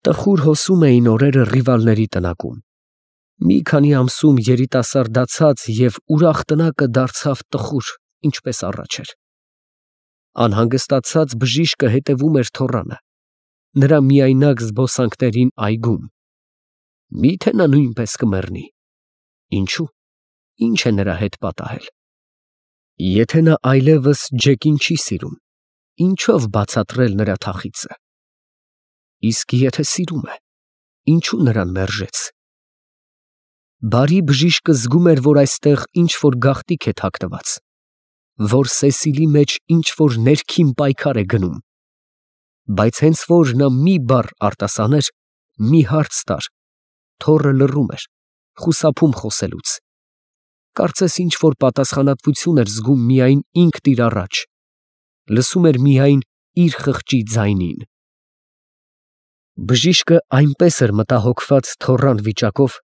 Տխուր հոսում էին օրերը ռիվալների տնակում։ Մի քանի ամսում երիտասարդացած և ուրախ տնակը դարձավ տխուր, ինչպես առաջ էր։ Անհանգստացած բժիշկը հետևում էր թոռանը, նրա միայնակ զբոսանքներին այգում։ Մի՞թե նա նույնպես կմեռնի։ Ինչո՞ւ, ի՞նչ է նրա հետ պատահել։ Եթե նա այլևս Ջեկին չի սիրում, ինչո՞վ բացատրել նրա թախիծը։ Իսկ եթե սիրում է, ինչո՞ւ նրան մերժեց։ Բարի բժիշկը զգում էր, որ այստեղ ինչ֊որ գաղտնիք է թաքնված, որ Սեսիլի մեջ ինչ֊որ ներքին պայքար է գնում։ Բայց հենց որ նա մի բառ արտասաներ, մի հարց տար, թոռը լռում էր, խուսափում խոսելուց։ Կարծես ինչ֊որ պատասխանատվություն էր զգում միայն ինքն իր առաջ, լսում էր միայն իր խղճի ձայնին։ Բժիշկը այնպես էր մտահոգված թոռան վիճակով,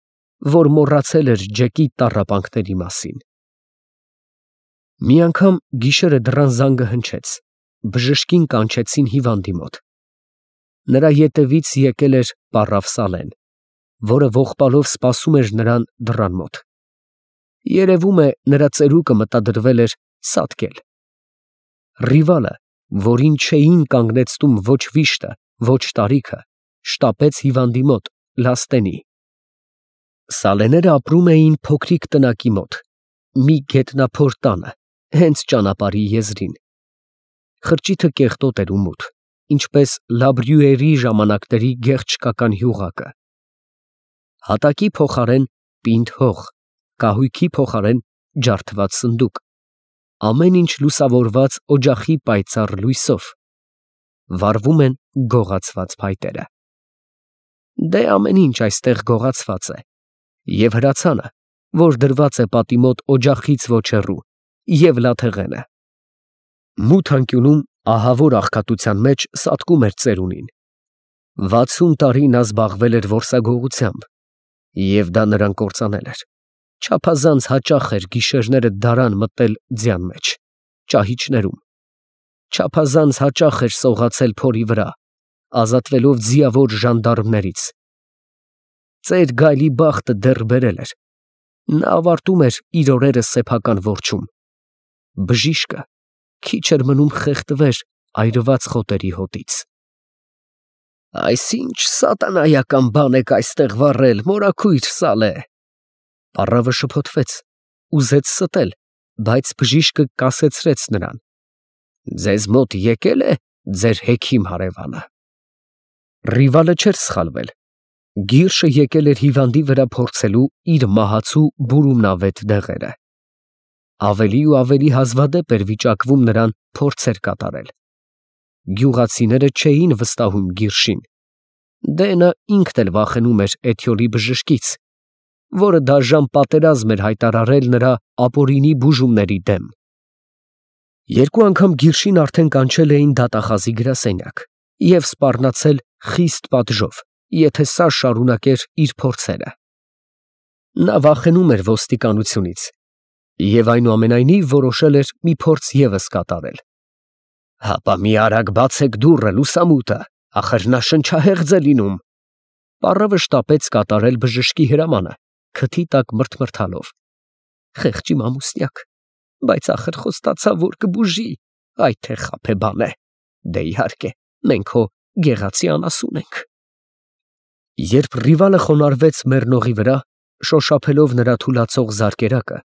որ մոռացել էր Ջեկի տառապանքների մասին։ Մի անգամ գիշերը դռան զանգը հնչեց, բժշկին կանչեցին հիվանդի մոտ։ Նրա ետևից եկել էր պառավ Սալեն, որը ողբալով սպասում էր նրան դռան մոտ։ Երևում է, նրա ծերուկը մտադրվել էր սատկել։ Ռիվալը, որին չէին կանգնեցնում ոչ վիշտը, ոչ տարիքը, շտապեց հիվանդի մոտ, լաստենի։ Սալեները ապրում էին փոքրիկ տնակի մոտ, մի գետնափոր տանը, հենց ճանապարհի եզրին։ Խրճիթը կեղտոտ էր ու մութ, ինչպես Լաբրյուերի ժամանակների գեղչկական յուղակը։ Հատակի փոխարեն պինդ հող, կահույքի փոխարեն ջարդված սնդուկ, ամեն ինչ լուսավորված օջախի պայծառ լույսով։ Վառվում են գողացված փայտերը։ Դե ամեն ինչ այստեղ գողացված է, և հրացանը, որ դրված է պատի մոտ օջախից ոչ հեռու, և լաթեղենը։ Մութ անկյունում ահավոր աղքատության մեջ սատկում էր ծերունին։ 60 տարի նա զբաղվել էր որսագողությամբ, և դա նրան կործանել էր։ Չափազանց հաճախ էր գիշերները դարան մտնել ձյան մեջ, ճահիճներում։ Չափազանց հաճախ էր սողացել փորի վրա, ազատվելով ձիավոր ժանդարմներից։ Ծեր գայլի բախտը դեռ բերել էր։ Նա ավարտում էր իր օրերը սեփական որջում։ Բժիշկը քիչ էր մնում խեղդվեր այրված խոտերի հոտից։ «Այս ի՞նչ սատանայական բան եք այստեղ վառել, մորաքույր Սալե», պառավը շփոթվեց, ուզեց ստել, բայց բժիշկը կասեցրեց նրան։ «Ձեզ մոտ եկե՞լ է ձեր հեքիմ հարևանը»։ Ռիվալը չէր սխալվել։ Գիրշը եկել էր հիվանդի վրա փորձելու իր մահացու բուրումնավետ դեղերը։ Ավելի ու ավելի հազվադեպ էր վիճակվում նրան փորձեր կատարել։ Գյուղացիները չէին վստահում Գիրշին։ Դե նա ինքն էլ վախենում էր Էթյոլի բժշկից, որը դաժան պատերազմ էր հայտարարել նրա ապօրինի բուժումների դեմ։ Երկու անգամ Գիրշին արդեն կանչել էին դատախազի գրասենյակ և սպառնացել խիստ պատժով, եթե սա շարունակեր իր փորձերը։ Նա վախենում էր ոստիկանությունից և այնուամենայնիվ որոշել էր մի փորձ ևս կատարել։ «Հապա մի արագ բացեք դուռը, լուսամուտը, ախր նա շնչահեղձ է լինում»։ Պառավը շտապեց կատարել բժշկի հրամանը, քթի տակ մրթմրթալով։ Խեղճիմ ամուսնյակ, բայց ախր խոստացավ, որ կբուժի, այ թե խաբեբան է։ Դե իհարկե, մենք հո գեղացի անասուն ենք։ Երբ Ռիվալը խոնարհվեց մեռնողի վրա, շոշափելով նրա թուլացող զարկերակը,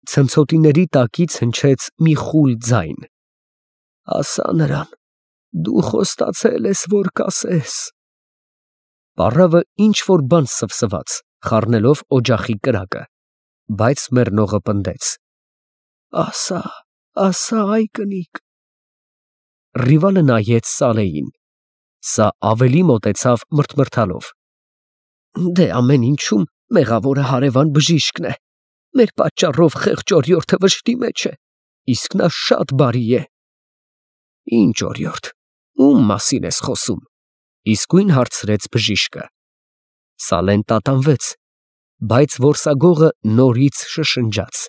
ցնցոտիների տակից հնչեց մի խուլ ձայն. «Ասա նրան, դու խոստացել ես, որ կասես»։ Պառավը ինչ֊որ բան սվսվաց, խառնելով օջախի կրակը, բայց մեռնողը պնդեց. «Ասա, ասա, ай կնիկ»։ Ռիվալը նայեց Սալեին։ Սա ավելի մոտեցավ մրթմրթալով. «Դե ամեն ինչում մեղավորը հարևան բժիշկն է, մեր պատճառով խեղճ օրիորդը վշտի մեջ է, իսկ նա շատ բարի է»։ «Ինչ օրիորդ, ում մասին ես խոսում», իսկույն հարցրեց բժիշկը։ Սալեն տատանվեց, բայց որսագողը նորից շշնջաց.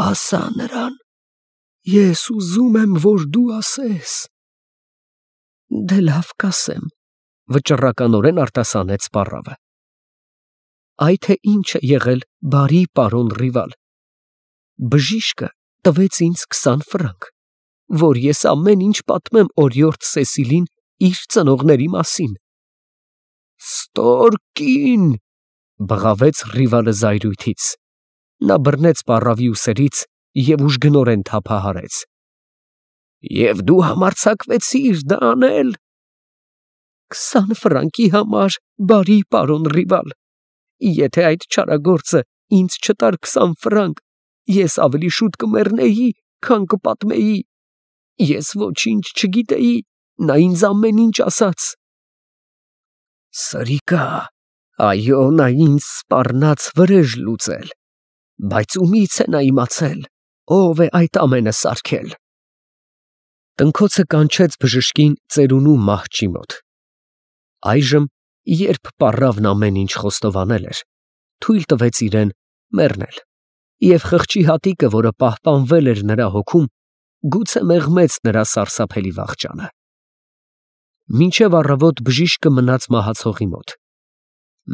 «Ասա նրան, ես ուզում եմ, որ դու ասես»։ «Դե լավ կասեմ, վճռականորեն արտասանեց պառավը։ Այ թե ինչ է եղել, բարի պարոն Ռիվալ։ Բժիշկը տվեց ինձ 20 ֆրանկ, որ ես ամեն ինչ պատմեմ օրիորդ Սեսիլին իր ծնողների մասին։ Ստորկին, բղավեց Ռիվալը զայրույթից։ Նա բռնեց պառավի ուսերից և ուժգնորեն թափահարեց։ Եվ դու համարձակվեցիր դա անել։ 20 ֆրանկի համար, բարի պարոն Ռիվալ, եթե այդ չարագործը ինձ չտար 20 ֆրանկ, ես ավելի շուտ կմեռնեի, քան կպատմեի։ Ես ոչինչ չգիտեի, նա ինձ ամեն ինչ ասաց։ Սրիկա, այո, նա ինձ սպառնաց վրեժ լուծել, բայց ումից է նա իմացել, ով է այդ ամենը սարքել։ Տնքոցը կանչեց բժշկին ծերունու մահճի մոտ։ Այժմ, երբ պառավն ամեն ինչ խոստովանել էր, թույլ տվեց իրեն մեռնել, և խղճի հատիկը, որը պահպանվել էր նրա հոգում, գուցե մեղմեց նրա սարսափելի վախճանը։ Մինչև առավոտ բժիշկը մնաց մահացողի մոտ։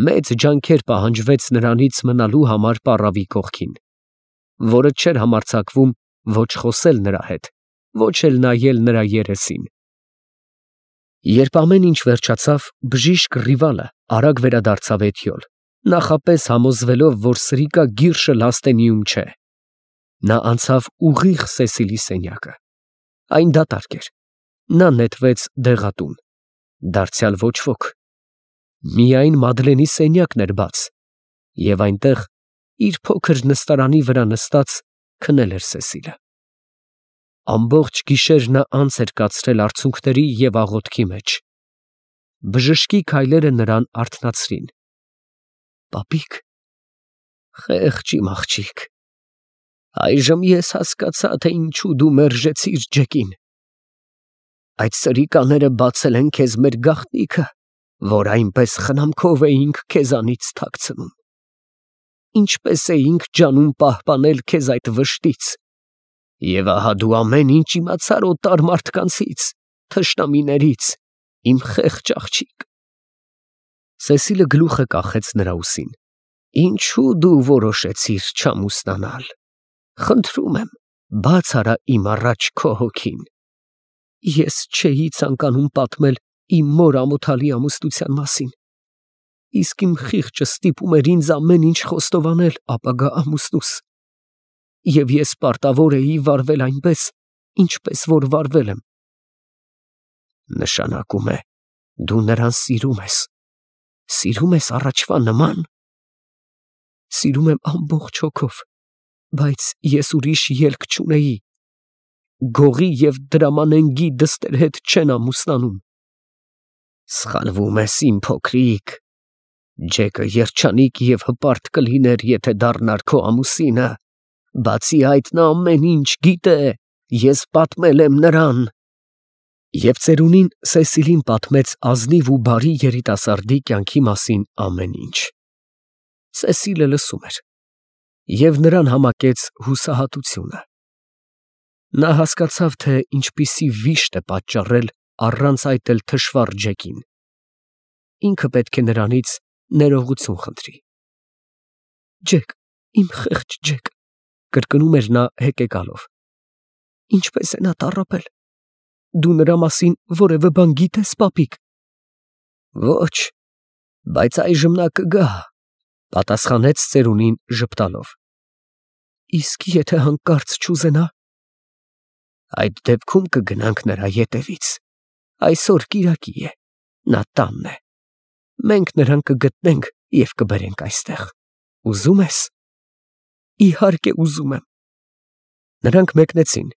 Մեծ ջանքեր պահանջվեց նրանից մնալու համար պառավի կողքին, որը չէր համարձակվում ոչ խոսել նրա հետ, ոչ էլ նայել նրա երեսին։ Երբ ամեն ինչ վերջացավ, բժիշկ Ռիվալը արագ վերադարձավ էթյոլ, նախապես համոզվելով, որ սրիկա գիրշը լաստենիում չէ։ Նա անցավ ուղիղ Սեսիլի սենյակը։ Այն դատարկ էր։ Նա նետվեց դեղատուն։ Դարձյալ ոչ ոք։ Միայն Մադլենի սենյակն էր բաց, և այնտեղ, իր փոքր նստարանի վրա նստած, քնել էր Սեսիլը։ Ամբողջ գիշեր նա անց էր կացրել արցունքների և աղոթքի մեջ։ Բժշկի քայլերը նրան արթնացրին։ Պապիկ, խեղճ իմ աղջիկ, այժմ ես հասկացա, թե ինչու դու մերժեցիր Ջեկին։ Այդ սրիկաները բացել են քեզ մեր գաղտնիքը, որ այնպես խնամքով էինք քեզանից թաքցնում։ Ինչպես էինք ջանում պահպանել քեզ այդ վշտից։ Եվ ահա դու ամեն ինչ իմացար օտար մարդկանցից, թշնամիներից, իմ խեղճ աղջիկ։ Սեսիլը գլուխը կախեց նրա ուսին։ Ինչու դու որոշեցիր չամուսնանալ։ Խնդրում եմ, բաց արա իմ առաջ քո հոգին։ Ես չէի ցանկանում պատմել իմ մոր ամոթալի ամուսնության մասին, իսկ իմ խիղճը ստիպում էր ինձ ամեն ինչ խոստովանել ապագա ամուսնուս, և ես պարտավոր էի վարվել այնպես, ինչպես որ վարվել եմ։ Նշանակում է, դու նրան սիրում ես։ Սիրում ես առաջվա նման։ Սիրում եմ ամբողջ հոգով, բայց ես ուրիշ ելք չունեի։ Գողի և դրամանենգի դստեր հետ չեն ամուսնանում։ Սխալվում ես, իմ փոքրիկ։ Ջեկը երջանիկ և հպարտ կլիներ, եթե դառնար քո ամուսինը։ Բացի այդ, նա ամեն ինչ գիտե, ես պատմել եմ նրան։ Եվ ծերունին Սեսիլին պատմեց ազնիվ ու բարի երիտասարդի կյանքի մասին ամեն ինչ։ Սեսիլը լսում էր, և նրան համակեց հուսահատությունը։ Նա հասկացավ, թե ինչպիսի վիշտ է պատճառել առանց այդ էլ թշվառ Ջեկին։ Ինքը պետք է նրանից ներողություն խնդրի։ Ջեք, իմ խեղճ Ջեք, կրկնում էր նա հեկեկալով։ Ինչպես է նա տառապել։ Դու նրա մասին որևէ բան գիտես, պապիկ։ Ոչ, բայց այժմ նա կգա, պատասխանեց ծերունին ժպտալով։ Իսկ եթե հանկարծ չուզենա։ Այդ դեպքում կգնանք նրա ետևից։ Այսօր կիրակի է, նա տանն է։ Մենք նրան կգտնենք և կբերենք այստեղ։ Ուզում ես։ Իհարկե ուզում եմ։ Նրանք մեկնեցին,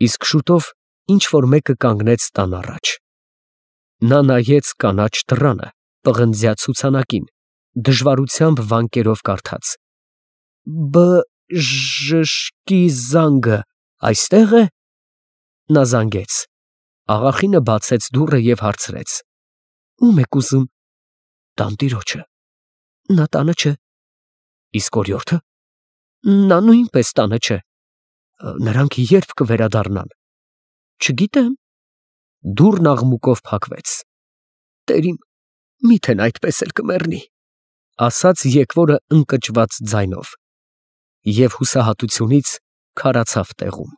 իսկ շուտով ինչ-որ մեկը կանգնեց տան առաջ։ Նա նայեց կանաչ դռանը, պղնձյա ցուցանակին, դժվարությամբ վանկերով կարդաց. Բժշկի զանգը այստե՞ղ է։ Նա զանգեց։ Աղախինը բացեց դուռը և հարցրեց. Ո՞ւմ եք ուզում։ Տանտիրոջը։ Նա տանը չէ։ Իսկ օրիորդը։ Նա նույնպես տանը չէ։ Նրանք երբ կվերադառնան։ Չգիտեմ։ Դուռն աղմուկով փակվեց։ Տեր իմ Միթե այդպես էլ կմեռնի, ասաց եկվորը ընկճված ձայնով, և հուսահատությունից քարացավ տեղում։